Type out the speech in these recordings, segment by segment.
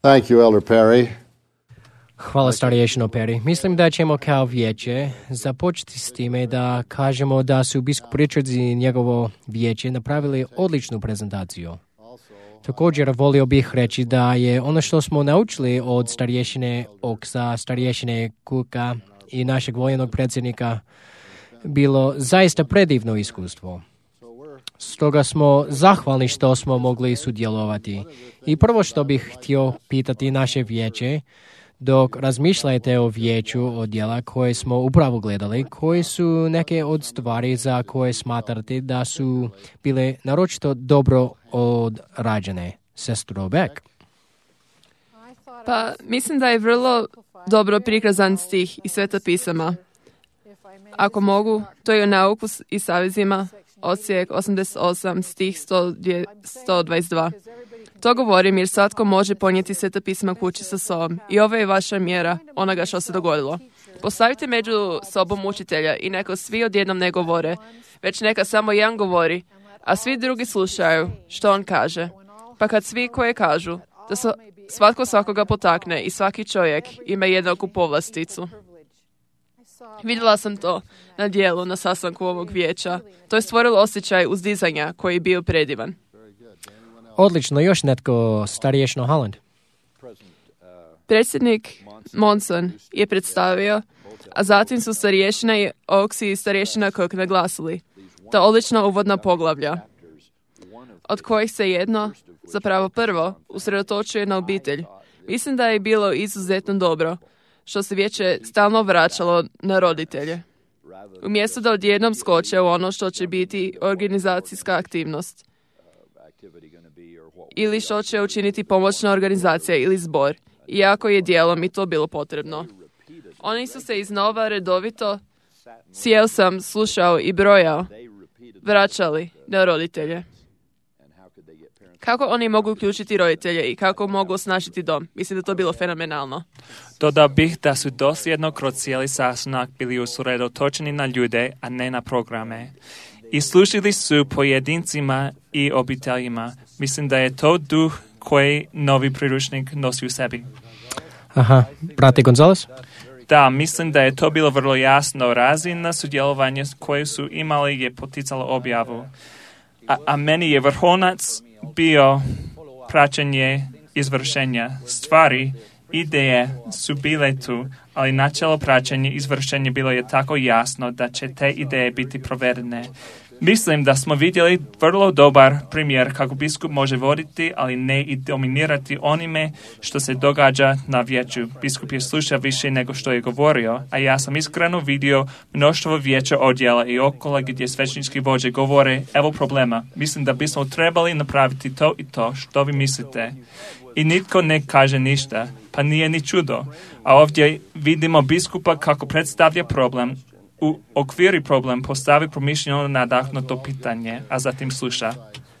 Thank you, Elder Perry. Hvala starješino Perry. Mislim da ćemo kao vijeće započeti s time da kažemo da su biskup Richards i njegovo vijeće napravili odličnu prezentaciju. Također volio bih reći da je ono što smo naučili od starješine Oksa, starješine Kuka i našeg vojnog predsjednika bilo zaista predivno iskustvo. Stoga smo zahvalni što smo mogli sudjelovati. I prvo što bih htio pitati naše vijeće, dok razmišljate o vijeću odjela koje smo upravo gledali, koji su neke od stvari za koje smatrate da su bile naročito dobro odrađene. Sestro Beck. Pa mislim da je vrlo dobro prikazan stih iz Sveta pisama. Ako mogu, to je o nauku i savezima, odsjek 88, stih 122. To govorim jer svatko može ponijeti Sveta pisma kući sa sobom. I ovo je vaša mjera onoga što se dogodilo. Postavite među sobom učitelja i neka svi odjednom ne govore, već neka samo jedan govori, a svi drugi slušaju što on kaže. Pa kad svi koje kažu, da svatko svakoga potakne i svaki čovjek ima jednaku povlasticu. Vidjela sam to na dijelu na sastanku ovog vijeća. To je stvorilo osjećaj uzdizanja koji je bio predivan. Odlično, još netko starješno Holland. Predsjednik Monson je predstavio, a zatim su starješina i Oaks i starješina Cook naglasili ta odlična uvodna poglavlja, od kojih se jedno, zapravo prvo, usredotočuje na obitelj. Mislim da je bilo izuzetno dobro što se vijeće stalno vraćalo na roditelje. Umjesto da odjednom skoče u ono što će biti organizacijska aktivnost ili što će učiniti pomoćna organizacija ili zbor, iako je dijelom i to bilo potrebno. Oni su se iznova redovito, sjeo sam, slušao i brojao, vraćali na roditelje. Kako oni mogu uključiti roditelje i kako mogu osnažiti dom? Mislim da to bilo fenomenalno. Dodao bih da su dosljedno kroz cijeli sastanak bili usredotočeni na ljude, a ne na programe. I služili su pojedincima i obiteljima. Mislim da je to duh koji novi priručnik nosi u sebi. Aha, brate Gonzales? Da, mislim da je to bilo vrlo jasno. Razina sudjelovanja koje su imali je poticalo objavu. A meni je vrhunac bio praćenje izvršenja. Stvari, ideje su bile tu, ali načelo praćenja izvršenja bilo je tako jasno da će te ideje biti provedene. Mislim da smo vidjeli vrlo dobar primjer kako biskup može voditi, ali ne i dominirati onime što se događa na vijeću. Biskup je slušao više nego što je govorio, a ja sam iskreno vidio mnoštvo vijeća odjela i okolo gdje svećnički vođe govore, evo problema, mislim da bismo trebali napraviti to i to, što vi mislite. I nitko ne kaže ništa, pa nije ni čudo. A ovdje vidimo biskupa kako predstavlja problem, u okviri problem postavi promišljeno nadahnuto pitanje, a zatim sluša.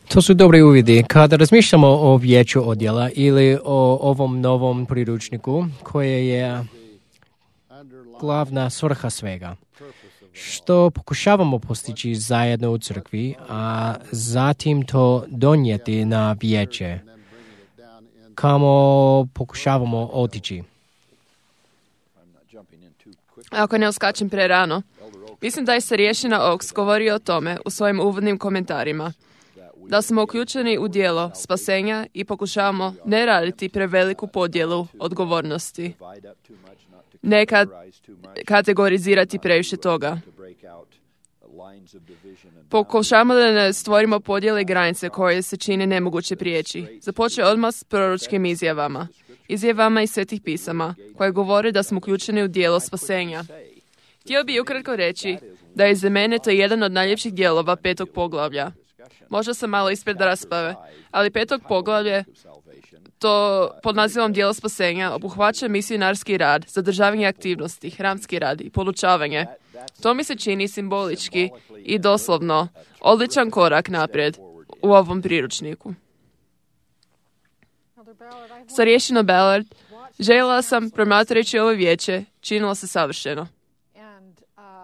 To su dobri uvidi. Kada razmišljamo o vijeću odjela ili o ovom novom priručniku, koje je glavna svrha svega, što pokušavamo postići zajedno u crkvi, a zatim to donijeti na vijeće, kamo pokušavamo otići. Ako ne uskačem prerano, mislim da je starješina Oaks govorio o tome u svojim uvodnim komentarima, da smo uključeni u djelo spasenja i pokušavamo ne raditi preveliku podjelu odgovornosti, ne kategorizirati previše toga. Pokušavamo da ne stvorimo podjele i granice koje se čine nemoguće prijeći. Započeo odmah s proročkim izjavama iz Svetih pisama, koje govore da smo uključeni u djelo spasenja. Htio bih ukratko reći da je za mene to jedan od najljepših dijelova 5. poglavlja. Možda sam malo ispred rasprave, ali 5. poglavlje, to pod nazivom djelo spasenja, obuhvaća misionarski rad, zadržavanje aktivnosti, hramski rad i podučavanje. To mi se čini simbolički i doslovno odličan korak naprijed u ovom priručniku. Starješino Ballard, željela sam, promatrajući ovo vijeće, činilo se savršeno.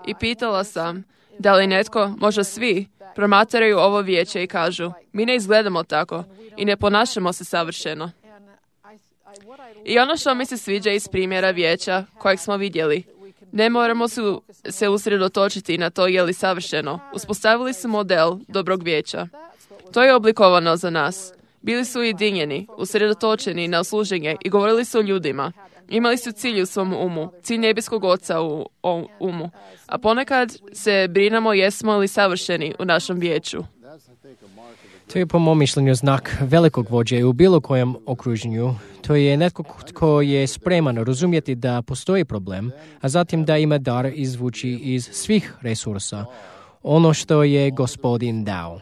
I pitala sam, da li netko, možda svi, promatraju ovo vijeće i kažu, mi ne izgledamo tako i ne ponašamo se savršeno. I ono što mi se sviđa iz primjera vijeća kojeg smo vidjeli, ne moramo se usredotočiti na to je li savršeno. Uspostavili su model dobrog vijeća. To je oblikovano za nas. Bili su ujedinjeni, usredotočeni na služenje i govorili su o ljudima. Imali su cilj u svom umu, cilj nebeskog Oca u umu. A ponekad se brinemo jesmo li savršeni u našem vijeću. To je po mom mišljenju znak velikog vođe u bilo kojem okruženju. To je netko tko je spreman razumjeti da postoji problem, a zatim da ima dar izvući iz svih resursa ono što je Gospodin dao.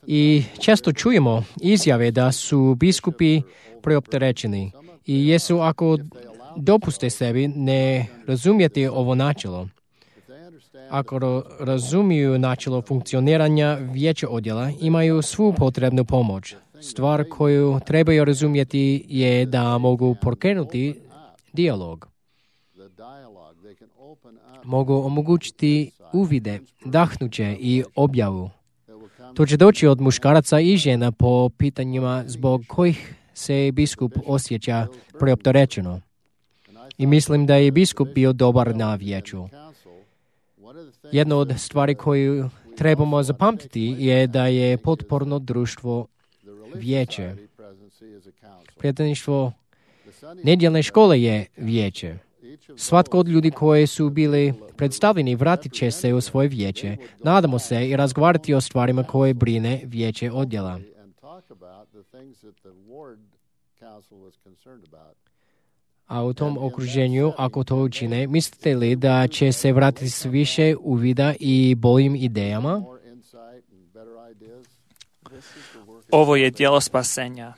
I često čujemo izjave da su biskupi preopterećeni i jesu ako dopuste sebi ne razumjeti ovo načelo. Ako razumiju načelo funkcioniranja vijeća odjela, imaju svu potrebnu pomoć. Stvar koju trebaju razumjeti je da mogu pokrenuti dijalog. Mogu omogućiti uvide, dahnuće i objavu. To će doći od muškaraca i žena po pitanjima zbog kojih se biskup osjeća preopterećeno. I mislim da je biskup bio dobar na vijeću. Jedna od stvari koju trebamo zapamtiti je da je potporno društvo vijeće. Predsjedništvo nedjeljne škole je vijeće. Svatko od ljudi koji su bili predstavljeni vratit će se u svoje vijeće. Nadamo se i razgovarati o stvarima koje brine vijeće odjela. A u tom okruženju, ako to učine, mislite li da će se vratiti s više uvida i boljim idejama? Ovo je djelo spasenja,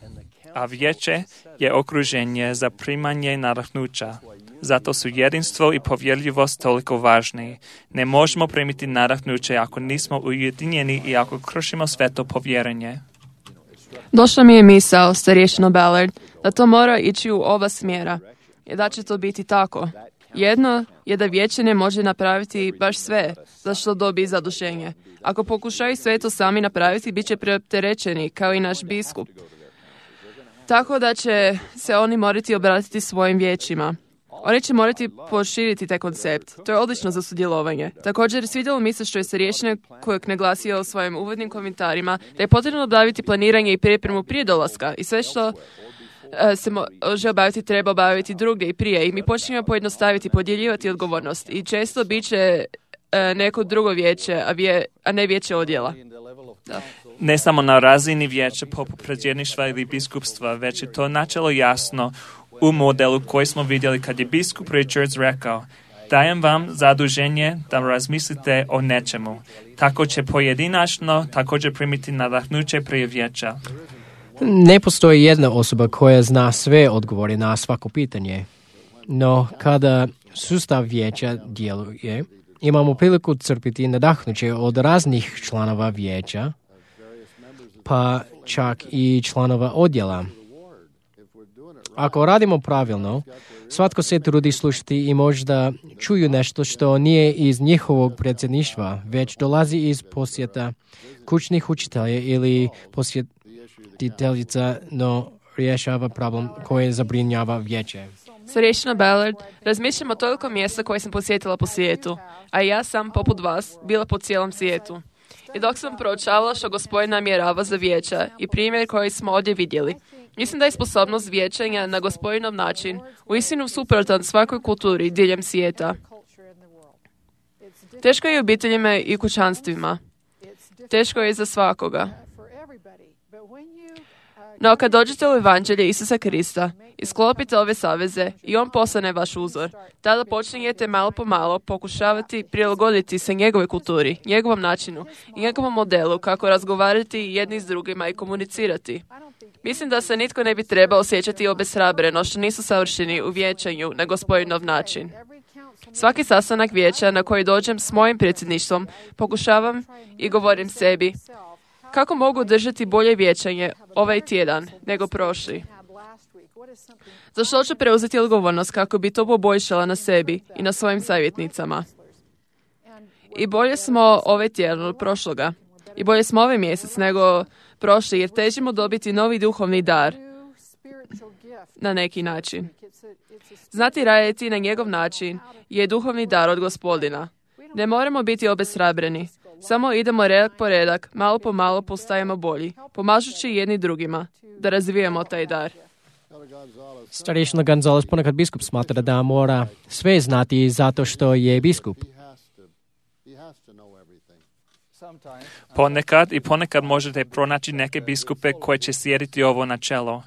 a vijeće je okruženje za primanje nadahnuća. Zato su jedinstvo i povjerljivost toliko važni. Ne možemo primiti nadahnuće ako nismo ujedinjeni i ako kršimo sveto povjerenje. Došla mi je misao, starješino Ballard, da to mora ići u oba smjera. I da će to biti tako. Jedno je da vijeće ne može napraviti baš sve za što dobi zadušenje. Ako pokušaju sve to sami napraviti, bit će preopterećeni, kao i naš biskup. Tako da će se oni morati obratiti svojim vijećima. Oni će morati proširiti taj koncept. To je odlično za sudjelovanje. Također, svidjelo mi se što je starješina kojeg naglasio u svojim uvodnim komentarima da je potrebno obaviti planiranje i pripremu prije dolaska i sve što se može obaviti, treba obaviti drugdje i prije. I mi počinjemo pojednostaviti, podjeljivati odgovornost. I često bit će neko drugo vijeće, a ne vijeće odjela. Da. Ne samo na razini vijeća poput predsjedništva ili biskupstva, već je to načelo jasno u modelu koji smo vidjeli kad je biskup Richards rekao: dajem vam zaduženje da razmislite o nečemu. Tako će pojedinačno također primiti nadahnuće prije vijeća. Ne postoji jedna osoba koja zna sve odgovore na svako pitanje. No, kada sustav vijeća djeluje, imamo priliku crpiti nadahnuće od raznih članova vijeća, pa čak i članova odjela. Ako radimo pravilno, svatko se trudi slušati i možda čuju nešto što nije iz njihovog predsjedništva, već dolazi iz posjeta kućnih učitelja ili posjetiteljica, no rješava problem koji zabrinjava vijeće. Starješina Ballard, razmišljam o toliko mjesta koje sam posjetila po svijetu, a ja sam, poput vas, bila po cijelom svijetu. I dok sam proučavala što Gospodin namjerava za vijeća i primjer koji smo ovdje vidjeli, mislim da je sposobnost vijećanja na Gospodinov način uistinu suprotan svakoj kulturi diljem svijeta. Teško je obiteljima i kućanstvima. Teško je za svakoga. No, kad dođete u evanđelje Isusa Krista i sklopite ove saveze i on postane vaš uzor, tada počinjete malo po malo pokušavati prilagoditi se njegove kulturi, njegovom načinu i njegovom modelu kako razgovarati jedni s drugima i komunicirati. Mislim da se nitko ne bi trebao osjećati obeshrabreno što nisu savršeni u vijećanju na Gospodinov način. Svaki sastanak vijeća na koji dođem s mojim predsjedništvom pokušavam i govorim sebi: kako mogu držati bolje vijećanje ovaj tjedan nego prošli? Za što ću preuzeti odgovornost kako bi to poboljšala na sebi i na svojim savjetnicama? I bolje smo ovaj tjedan od prošloga. I bolje smo ovaj mjesec nego prošli jer težimo dobiti novi duhovni dar na neki način. Znati raditi na njegov način je duhovni dar od Gospodina. Ne moramo biti obeshrabreni. Samo idemo redak po redak, malo po malo postajemo bolji, pomažući jedni drugima, da razvijemo taj dar. Starješina Gonzales, ponekad biskup smatra da mora sve znati zato što je biskup. Ponekad možete pronaći neke biskupe koji će slijediti ovo načelo.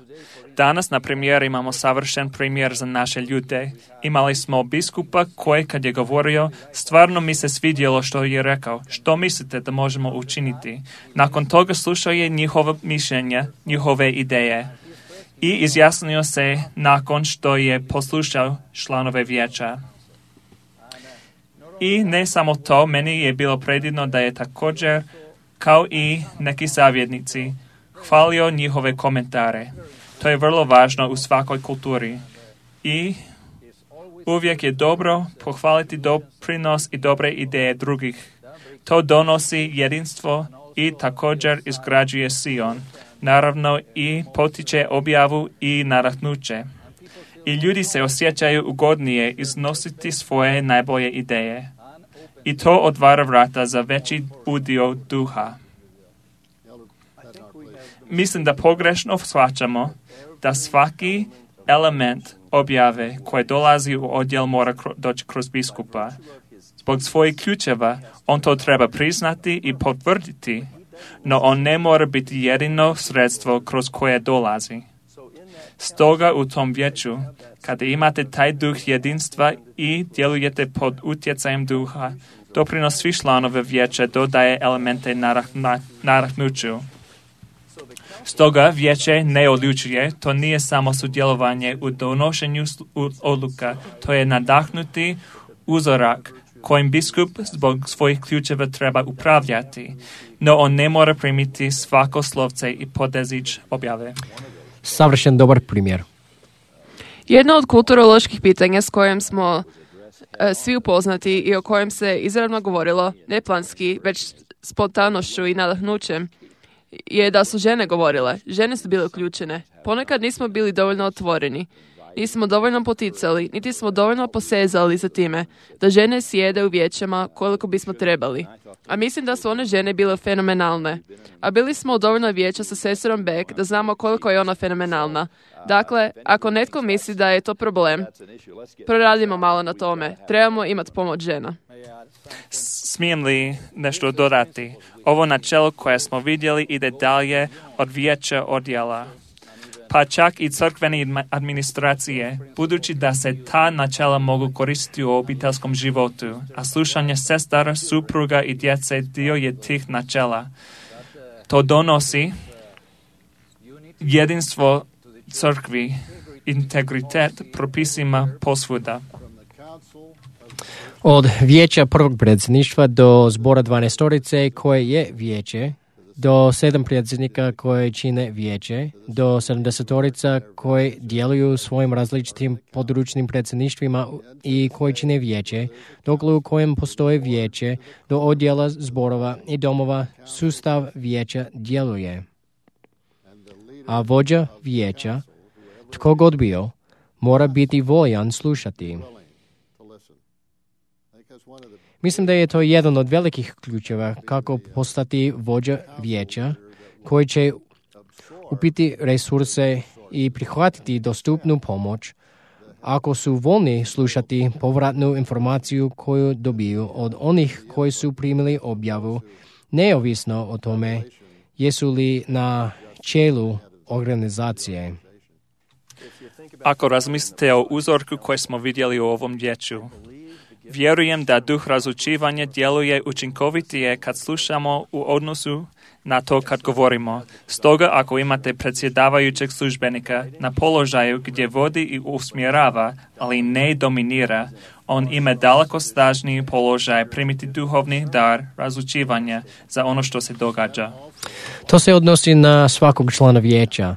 Danas, na primjer, imamo savršen primjer za naše ljude. Imali smo biskupa koji, kad je govorio, stvarno mi se svidjelo što je rekao. Što mislite da možemo učiniti? Nakon toga slušao je njihova mišljenja, njihove ideje i izjasnio se nakon što je poslušao članove vijeća. I ne samo to, meni je bilo predivno da je također, kao i neki savjetnici, hvalio njihove komentare. To je vrlo važno u svakoj kulturi. I uvijek je dobro pohvaliti doprinos i dobre ideje drugih. To donosi jedinstvo i također izgrađuje Sion. Naravno i potiče objavu i nadahnuće. I ljudi se osjećaju ugodnije iznositi svoje najbolje ideje. I to otvara vrata za veći udio duha. Mislim da pogrešno shvaćamo da svaki element objave koji dolazi u odjel mora doći kroz biskupa. Zbog svojih ključeva on to treba priznati i potvrditi, no on ne mora biti jedino sredstvo kroz koje dolazi. Stoga u tom vijeću, kada imate taj duh jedinstva i djelujete pod utjecajem duha, doprinos svih članova vijeća dodaje elemente nadahnuću. Stoga vijeće ne odlučuje, to nije samo sudjelovanje u donošenju odluka, to je nadahnuti uzorak kojim biskup zbog svojih ključeva treba upravljati, no on ne mora primiti svako slovce i podezić objave. Savršen dobar primjer. Jedno od kulturoloških pitanja s kojim smo svi upoznati i o kojem se izravno govorilo, ne planski, već spontanošću i nadahnućem, je da su žene govorile. Žene su bile uključene. Ponekad nismo bili dovoljno otvoreni. Nismo dovoljno poticali, niti smo dovoljno posezali za time da žene sjede u vijećama koliko bismo trebali. A mislim da su one žene bile fenomenalne. A bili smo u dovoljno vijeća sa sestrom Beck da znamo koliko je ona fenomenalna. Dakle, ako netko misli da je to problem, proradimo malo na tome. Trebamo imati pomoć žena. Smijem li nešto dodati? Ovo načelo koje smo vidjeli ide dalje od vijeća odjela, pa čak i crkvene administracije, budući da se ta načela mogu koristiti u obiteljskom životu, a slušanje sestara, supruga i djece dio je tih načela. To donosi jedinstvo crkvi, integritet propisima posvuda. Od vijeća prvog predsjedništva do zbora 12 koje je vijeće, do 7 predsjednika koje čine vijeće, do 70 koje djeluju u svojim različitim područnim predsjedništvima i koji čine vijeće, dok u kojem postoje vijeće, do odjela zborova i domova, sustav vijeća djeluje. A vođa vijeća, tko god bio, mora biti voljan slušati. Mislim da je to jedan od velikih ključeva kako postati vođa vijeća koji će upiti resurse i prihvatiti dostupnu pomoć ako su voljni slušati povratnu informaciju koju dobiju od onih koji su primili objavu, neovisno o tome jesu li na čelu organizacije. Ako razmislite o uzorku koji smo vidjeli u ovom vijeću, vjerujem da duh razlučivanja djeluje učinkovitije kad slušamo u odnosu na to kad govorimo. Stoga ako imate predsjedavajućeg službenika na položaju gdje vodi i usmjerava, ali ne dominira, on ima daleko snažniji položaj primiti duhovni dar razlučivanja za ono što se događa. To se odnosi na svakog člana vijeća.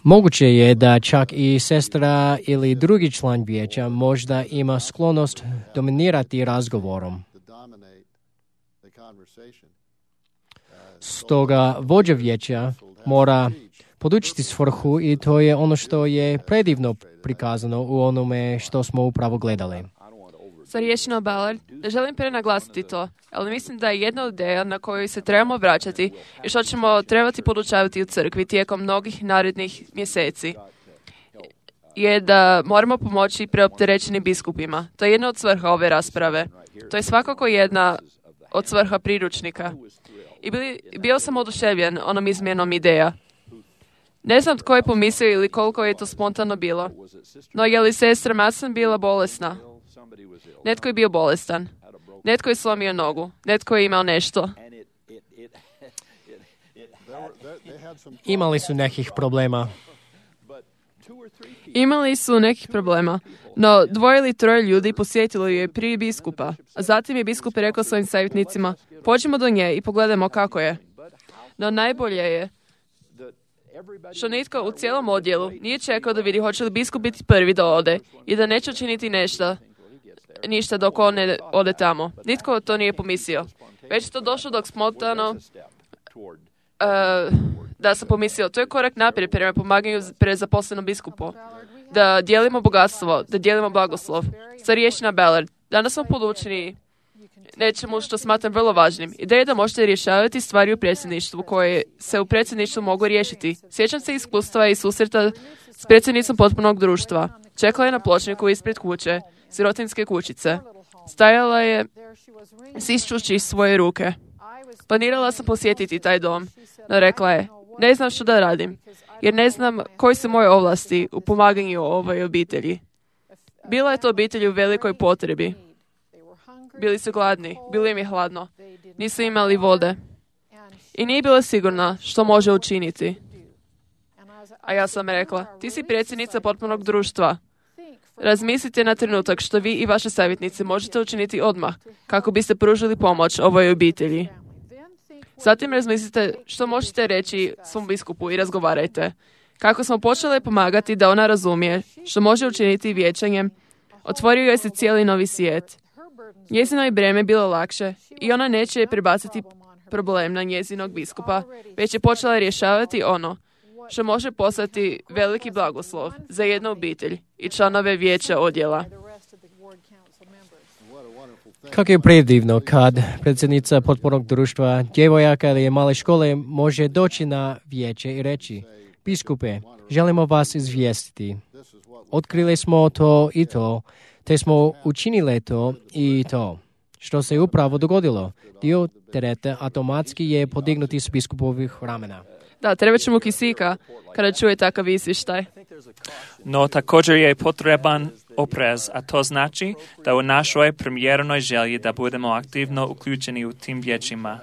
Moguće je da čak i sestra ili drugi član vijeća možda ima sklonost dominirati razgovorom. Stoga vođa vijeća mora podučiti svrhu i to je ono što je predivno prikazano u onome što smo upravo gledali. Starješino Ballard, ne želim prenaglasiti to, ali mislim da je jedna od ideja na koju se trebamo vraćati i što ćemo trebati podučavati u crkvi tijekom mnogih narednih mjeseci je da moramo pomoći preopterećenim biskupima. To je jedna od svrha ove rasprave. To je svakako jedna od svrha priručnika. I bio sam oduševljen onom izmjenom ideja. Ne znam tko je pomislio ili koliko je to spontano bilo, no je li sestra Madsen bila bolesna? Netko je bio bolestan. Netko je slomio nogu. Netko je imao nešto. Imali su nekih problema. Imali su nekih problema, no 2 ili 3 ljudi posjetilo ju je prije biskupa, a zatim je biskup rekao svojim savjetnicima, pođimo do nje i pogledajmo kako je. No najbolje je što nitko u cijelom odjelu nije čekao da vidi hoće li biskup biti prvi da ode i da neće učiniti ništa dok on ne ode tamo. Nitko to nije pomislio. Već je to došlo dok spontano da sam pomislio, to je korak naprijed prema pomaganju prezaposlenom biskupu. Da dijelimo bogatstvo, da dijelimo blagoslov. Starješina Ballard, danas smo podučeni nečemu što smatram vrlo važnim. Ideja je da možete rješavati stvari u predsjedništvu koje se u predsjedništvu mogu riješiti. Sjećam se iskustva i susreta s predsjednicom potpunog društva. Čekala je na pločniku ispred kuće, sirotinske kućice. Stajala je stišćući svoje ruke. Planirala sam posjetiti taj dom, no rekla je, ne znam što da radim, jer ne znam koji su moje ovlasti u pomaganju ovoj obitelji. Bila je to obitelj u velikoj potrebi. Bili su gladni, bilo im je hladno, nisu imali vode i nije bila sigurna što može učiniti. A ja sam rekla, ti si predsjednica potpunog društva. Razmislite na trenutak što vi i vaše savjetnici možete učiniti odmah kako biste pružili pomoć ovoj obitelji. Zatim razmislite što možete reći svom biskupu i razgovarajte. Kako smo počeli pomagati da ona razumije što može učiniti vijećanjem, otvorio je se cijeli novi svijet. Njezino je breme bilo lakše i ona neće prebaciti problem na njezinog biskupa, već je počela rješavati ono što može postati veliki blagoslov za jednu obitelj i članove vijeća odjela. Kako je predivno kad predsjednica potpornog društva, djevojaka ili male škole može doći na vijeće i reći, biskupe, želimo vas izvijestiti. Otkrili smo to i to, te smo učinili to i to. Što se upravo dogodilo? Dio tereta automatski je podignuti s biskupovih ramena. Da, treba će mu kisika kada čuje takav izvještaj. No također je potreban oprez, a to znači da u našoj premijernoj želji da budemo aktivno uključeni u tim vijećima.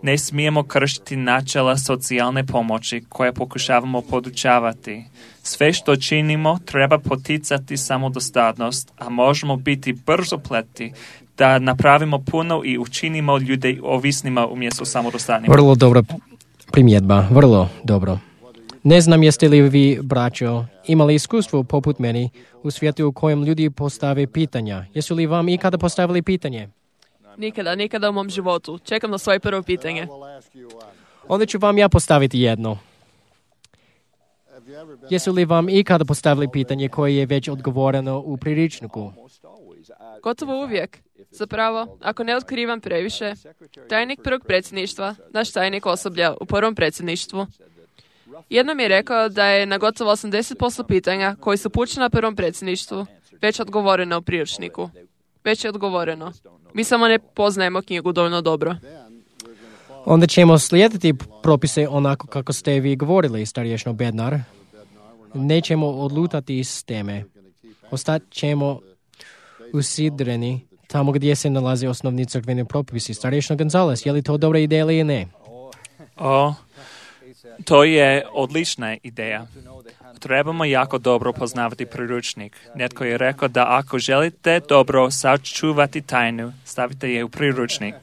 Ne smijemo kršiti načela socijalne pomoći koje pokušavamo podučavati. Sve što činimo treba poticati samodostatnost, a možemo biti brzopleti da napravimo puno i učinimo ljude ovisnima umjesto samodostatnima. Vrlo dobra primjedba, vrlo dobro. Ne znam jeste li vi, braćo, imali iskustvo poput meni u svijetu u kojem ljudi postave pitanja. Jesu li vam ikada postavili pitanje? Nikada u mom životu. Čekam na svoje prvo pitanje. Onda ću vam ja postaviti jedno. Jesu li vam ikada postavili pitanje koje je već odgovoreno u priručniku? Gotovo uvijek. Zapravo, ako ne otkrivam previše, tajnik prvog predsjedništva, naš tajnik osoblja u prvom predsjedništvu, jednom je rekao da je na gotovo 80% pitanja koji su pućeni na prvom predsjedništvu već odgovoreno u priručniku. Već je odgovoreno. Mi samo ne poznajemo knjigu dovoljno dobro. Onda ćemo slijediti propise onako kako ste vi govorili, starješno Bednar. Nećemo odlutati iz teme. Ostat ćemo usidreni tamo gdje se nalaze osnovni crkveni propisi. Starješno Gonzales, je li to dobra ideja ili ne? To je odlična ideja. Trebamo jako dobro poznavati priručnik. Netko je rekao da ako želite dobro sačuvati tajnu, stavite je u priručnik.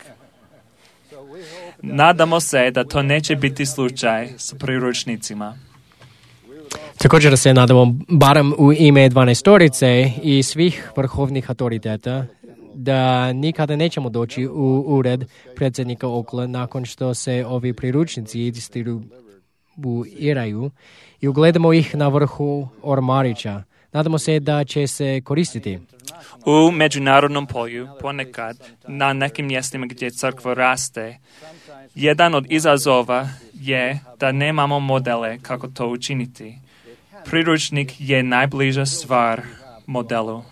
Nadamo se da to neće biti slučaj s priručnicima. Također se nadamo, barem u ime 12 i svih vrhovnih autoriteta, da nikada nećemo doći u ured predsjednika Okla nakon što se ovi priručnici distribuiraju i ugledamo ih na vrhu ormarića. Nadamo se da će se koristiti. U međunarodnom polju ponekad na nekim mjestima gdje crkva raste, jedan od izazova je da nemamo modele kako to učiniti. Priručnik je najbliža stvar modelu.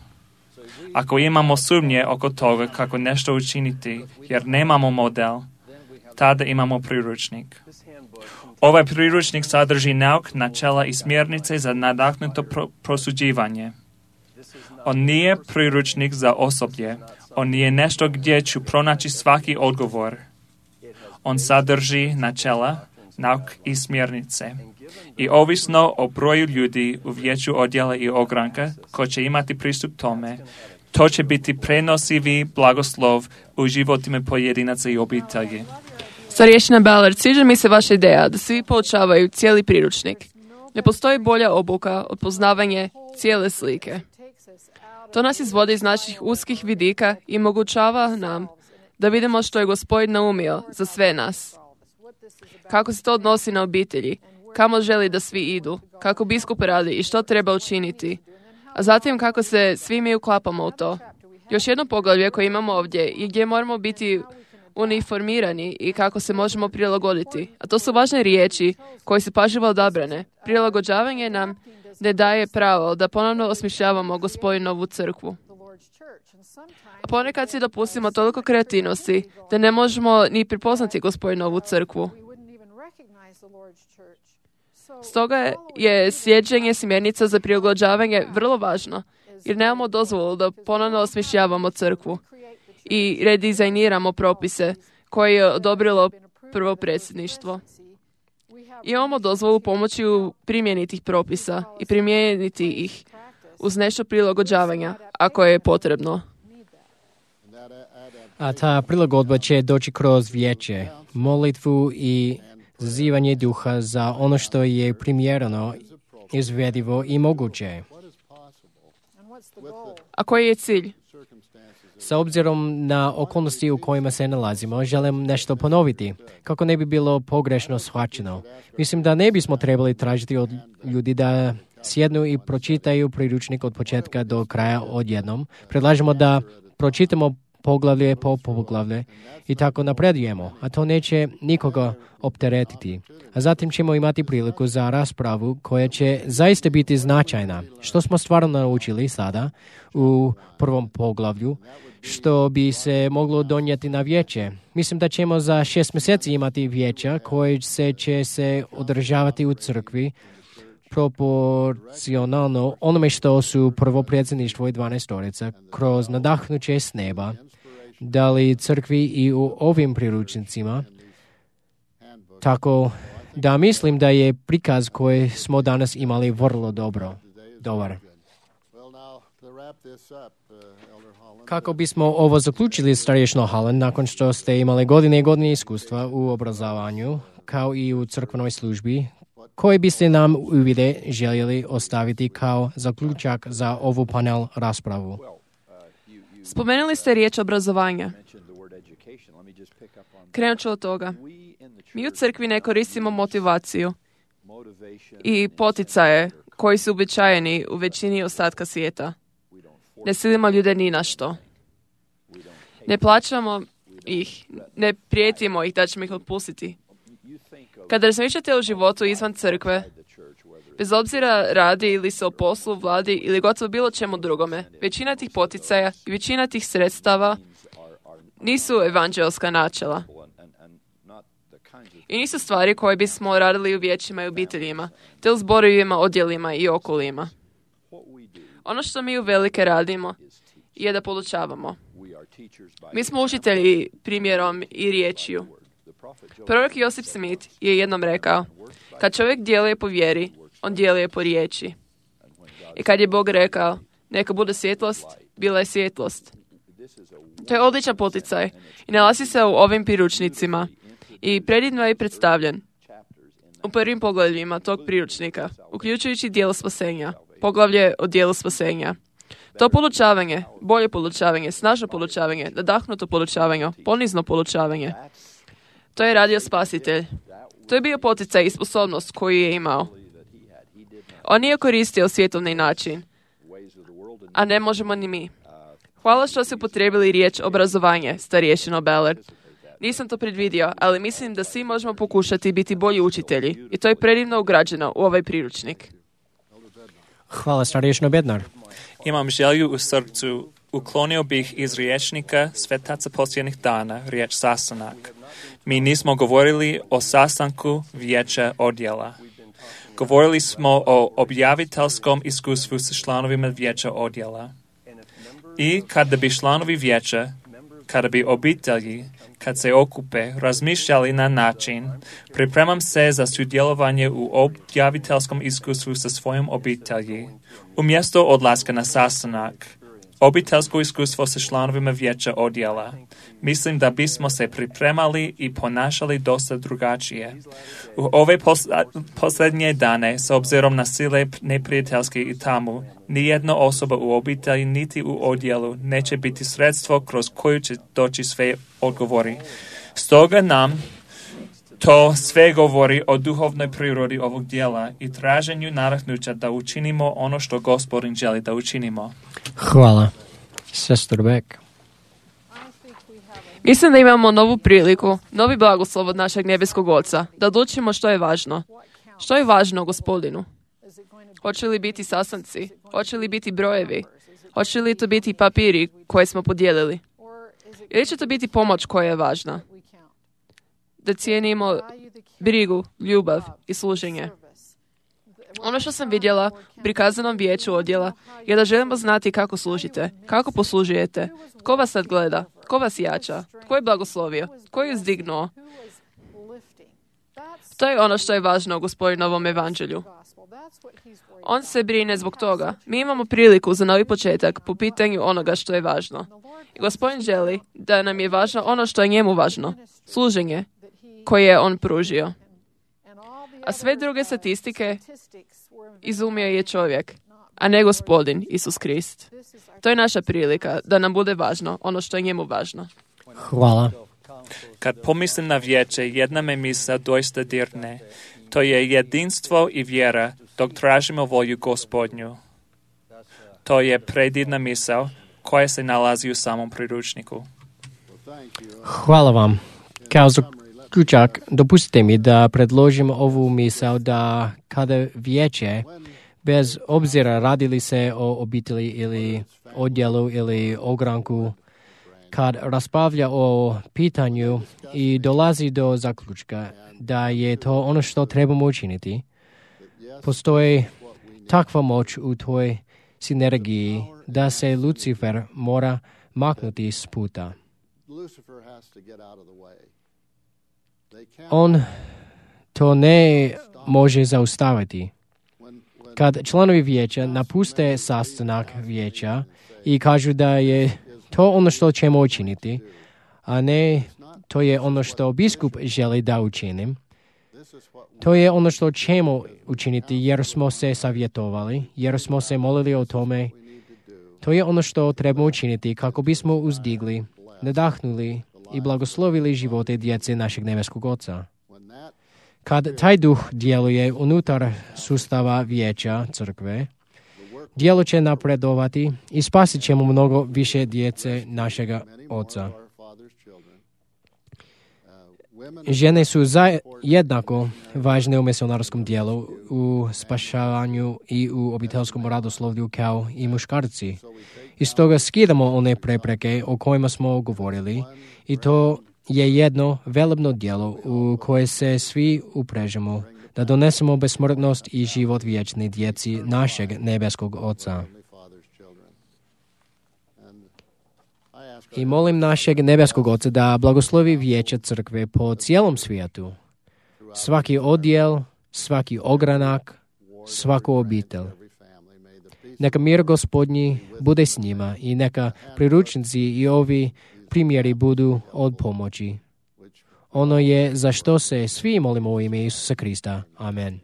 Ako imamo sumnje oko toga kako nešto učiniti jer nemamo model, tada imamo priručnik. Ovaj priručnik sadrži nauk, načela i smjernice za nadahnuto prosuđivanje. On nije priručnik za osoblje. On nije nešto gdje ću pronaći svaki odgovor. On sadrži načela, nauk i smjernice. I ovisno o broju ljudi u vijeću odjela i ogranka ko će imati pristup tome, to će biti prenosivi blagoslov u životima pojedinaca i obitelji. Starješina Ballard, sviđa mi se vaša ideja da svi poučavaju cijeli priručnik. Ne postoji bolja obuka od poznavanja cijele slike. To nas izvodi iz naših uskih vidika i omogućava nam da vidimo što je Gospodin naumio za sve nas. Kako se to odnosi na obitelji, kamo želi da svi idu, kako biskup radi i što treba učiniti, a zatim kako se svi mi uklapamo u to. Još jedno poglavlje koje imamo ovdje i gdje moramo biti uniformirani i kako se možemo prilagoditi. A to su važne riječi koje su pažljivo odabrane. Prilagođavanje nam ne daje pravo da ponovno osmišljavamo Gospodinovu crkvu. A ponekad si dopustimo toliko kreativnosti da ne možemo ni prepoznati Gospodinovu crkvu. Stoga je slijeđenje smjernica za prilagođavanje vrlo važno, jer nemamo dozvolu da ponovno osmišljavamo crkvu i redizajniramo propise koje je odobrilo prvo predsjedništvo. Imamo dozvolu pomoći u primjeni tih propisa i primijeniti ih uz nešto prilagođavanja, ako je potrebno. A ta prilagodba će doći kroz vijeće, molitvu i zazivanje duha za ono što je primjereno, izvedivo i moguće. A koji je cilj? Sa obzirom na okolnosti u kojima se nalazimo, želim nešto ponoviti, kako ne bi bilo pogrešno shvaćeno. Mislim da ne bismo trebali tražiti od ljudi da sjednu i pročitaju priručnik od početka do kraja odjednom. Predlažemo da pročitamo poglavlje po poglavlje i tako napredujemo, a to neće nikoga opteretiti. A zatim ćemo imati priliku za raspravu koja će zaista biti značajna. Što smo stvarno naučili sada u prvom poglavlju, što bi se moglo donijeti na vijeće. Mislim da ćemo za 6 mjeseci imati vijeća koje će se održavati u crkvi proporcionalno onome što su prvo predsjedništvo i 12 storica kroz nadahnuće s neba dali crkvi i u ovim priručnicima. Tako da mislim da je prikaz koji smo danas imali vrlo dobar. Kako bismo ovo zaključili, starješino Holland, nakon što ste imali godine i godine iskustva u obrazovanju, kao i u crkvenoj službi, koje biste nam uvide željeli ostaviti kao zaključak za ovu panel raspravu? Spomenuli ste riječ obrazovanja. Krenut ću od toga. Mi u crkvi ne koristimo motivaciju i poticaje koji su uobičajeni u većini ostatka svijeta. Ne silimo ljude ni na što. Ne plaćamo ih, ne prijetimo ih da ćemo ih otpustiti. Kada razmišljate o životu izvan crkve, bez obzira radi ili se o poslu, vladi ili gotovo bilo čemu drugome, većina tih poticaja i većina tih sredstava nisu evanđelska načela. I nisu stvari koje bismo radili u vijećima i obiteljima, te u zborovima, odjelima i okolima. Ono što mi uvelike radimo je da podučavamo. Mi smo učitelji primjerom i riječju. Prorok Josip Smith je jednom rekao, kad čovjek djeluje po vjeri, on djeluje po riječi. I kad je Bog rekao, neka bude svjetlost, bila je svjetlost. To je odličan poticaj i nalazi se u ovim priručnicima i predivno je predstavljen u prvim poglavljima tog priručnika, uključujući dijelo spasenja, poglavlje o dijelu spasenja. To polučavanje, bolje polučavanje, snažno polučavanje, nadahnuto polučavanje, ponizno polučavanje. To je radio Spasitelj. To je bio poticaj i sposobnost koju je imao. On nije koristio svjetovni način, a ne možemo ni mi. Hvala što ste upotrijebili riječ obrazovanje, starješino Ballard. Nisam to predvidio, ali mislim da svi možemo pokušati biti bolji učitelji i to je predivno ugrađeno u ovaj priručnik. Hvala, starješino Bednar. Imam želju u srcu, uklonio bih iz riječnika svetaca posljednjih dana riječ sastanak. Mi nismo govorili o sastanku vijeća odjela. Govorili smo o objaviteljskom iskustvu sa članovima vijeća odjela. I kada bi članovi vijeća, kada bi obitelji, kad se okupe, razmišljali na način, pripremam se za sudjelovanje u objaviteljskom iskustvu sa svojom obitelji, umjesto odlaska na sastanak, obiteljsko iskustvo sa članovima vijeća odjela. Mislim da bismo se pripremali i ponašali dosta drugačije. U ove posljednje dane, s obzirom na sile neprijateljske i tamu, nijedna osoba u obitelji niti u odjelu neće biti sredstvo kroz koju će doći sve odgovori. Stoga nam to sve govori o duhovnoj prirodi ovog dijela i traženju nadahnuća da učinimo ono što Gospodin želi da učinimo. Hvala. Sestor Beck. Mislim da imamo novu priliku, novi blagoslov od našeg nebeskog Oca, da odlučimo što je važno. Što je važno Gospodinu? Hoće li biti sastanci? Hoće li biti brojevi? Hoće li to biti papiri koje smo podijelili? Ili će to biti pomoć koja je važna? Da cijenimo brigu, ljubav i služenje. Ono što sam vidjela u prikazanom vijeću odjela je da želimo znati kako služite, kako poslužujete, tko vas sad gleda, tko vas jača, tko je blagoslovio, tko je uzdignuo. To je ono što je važno u Gospodinovom evanđelju. On se brine zbog toga. Mi imamo priliku za novi početak po pitanju onoga što je važno. I Gospodin želi da nam je važno ono što je njemu važno, služenje koje je on pružio. A sve druge statistike izumio je čovjek, a ne Gospodin, Isus Krist. To je naša prilika da nam bude važno ono što je njemu važno. Hvala. Kad pomislim na vijeće, jedna me misla doista dirne. To je jedinstvo i vjera dok tražimo volju Gospodnju. To je predivna misao koja se nalazi u samom priručniku. Hvala vam. Kao zaključak, dopustite mi da predložim ovu misao da kada vijeće, bez obzira radili se o obitelji ili odjelu ili ogranku, kad raspravlja o pitanju i dolazi do zaključka da je to ono što trebamo učiniti, postoji takva moć u toj sinergiji da se Lucifer mora maknuti s puta. On to ne može zaustaviti. Kad članovi vijeća napuste sastanak vijeća i kažu da je to ono što ćemo učiniti, a ne to je ono što biskup želi da učinim, to je ono što ćemo učiniti jer smo se savjetovali, jer smo se molili o tome. To je ono što trebamo učiniti kako bismo uzdigli, nadahnuli i blagoslovili živote djece našeg nebeskog Oca. Kad taj duh djeluje unutar sustava vijeća crkve, djelo će napredovati i spasit ćemo mnogo više djece našega Oca. Žene su jednako važne u misionarskom dijelu, u spašavanju i u obiteljskom radoslovlju kao i muškarci. I stoga skidamo one prepreke o kojima smo govorili i to je jedno velebno djelo u koje se svi uprežemo da donesemo besmrtnost i život vječni djeci našeg nebeskog Oca. I molim našeg nebeskog Oca da blagoslovi vijeće crkve po cijelom svijetu. Svaki odjel, svaki ogranak, svaku obitelj. Neka mir Gospodnji bude s njima i neka priručnici i ovi primjeri budu od pomoći. Ono je za što se svi molimo u ime Isusa Krista. Amen.